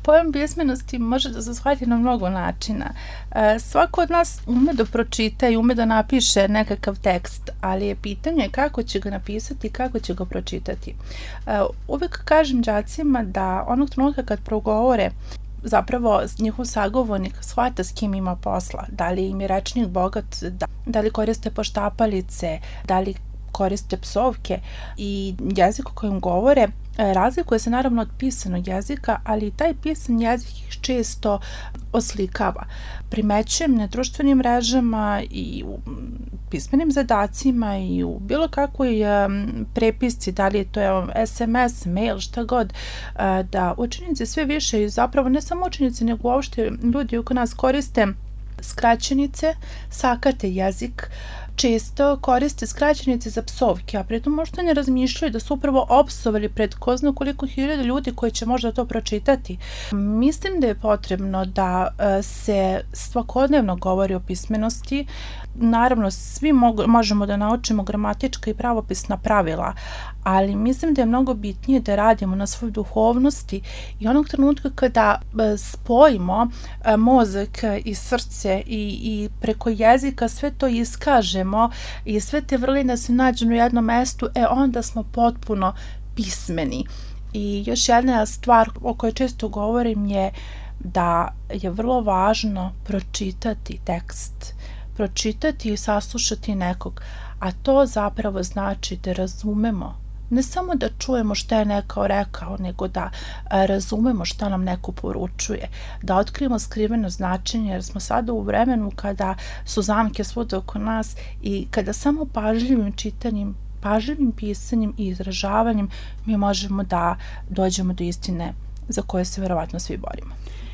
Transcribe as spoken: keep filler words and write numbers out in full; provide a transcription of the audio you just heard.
Pojam pismenosti može da se shvati na mnogo načina. Svako od nas ume da pročita i ume da napiše nekakav tekst, ali je pitanje kako će ga napisati i kako će ga pročitati. Uvek kažem đacima da onog trenutka kad progovore, zapravo njihov sagovornik shvata s kim ima posla, da li im je rečnik bogat, da, da li koriste poštapalice, da li koriste psovke i jezik kojim govore razlikuje se naravno od pisanog jezika, ali taj pisan jezik ih često oslikava. Primećujem na društvenim mrežama i u pismenim zadacima i u bilo kakvoj prepisci, da li je to es em es, mail, šta god, da učenici sve više i zapravo ne samo učenici, nego uopšte ljudi oko nas koriste skraćenice, sakate jezik, često koriste skraćenice za psovke, a pritom možda ne razmišljaju da su upravo opsovali pred ko zna koliko hiljada ljudi koji će možda to pročitati. Mislim da je potrebno da se svakodnevno govori o pismenosti. Naravno, svi mogu, možemo da naučimo gramatička i pravopisna pravila, ali mislim da je mnogo bitnije da radimo na svojoj duhovnosti i onog trenutka kada spojimo mozak i srce i, i preko jezika sve to iskažemo i sve te vrline se nađu na jednom mestu, e onda smo potpuno pismeni. I još jedna stvar o kojoj često govorim je da je vrlo važno pročitati tekst, pročitati i saslušati nekog, a to zapravo znači da razumemo, ne samo da čujemo šta je neko rekao, nego da razumemo šta nam neko poručuje, da otkrijemo skriveno značenje, jer smo sada u vremenu kada su zamke svuda oko nas i kada samo pažljivim čitanjem, pažljivim pisanjem i izražavanjem mi možemo da dođemo do istine za koje se verovatno svi borimo.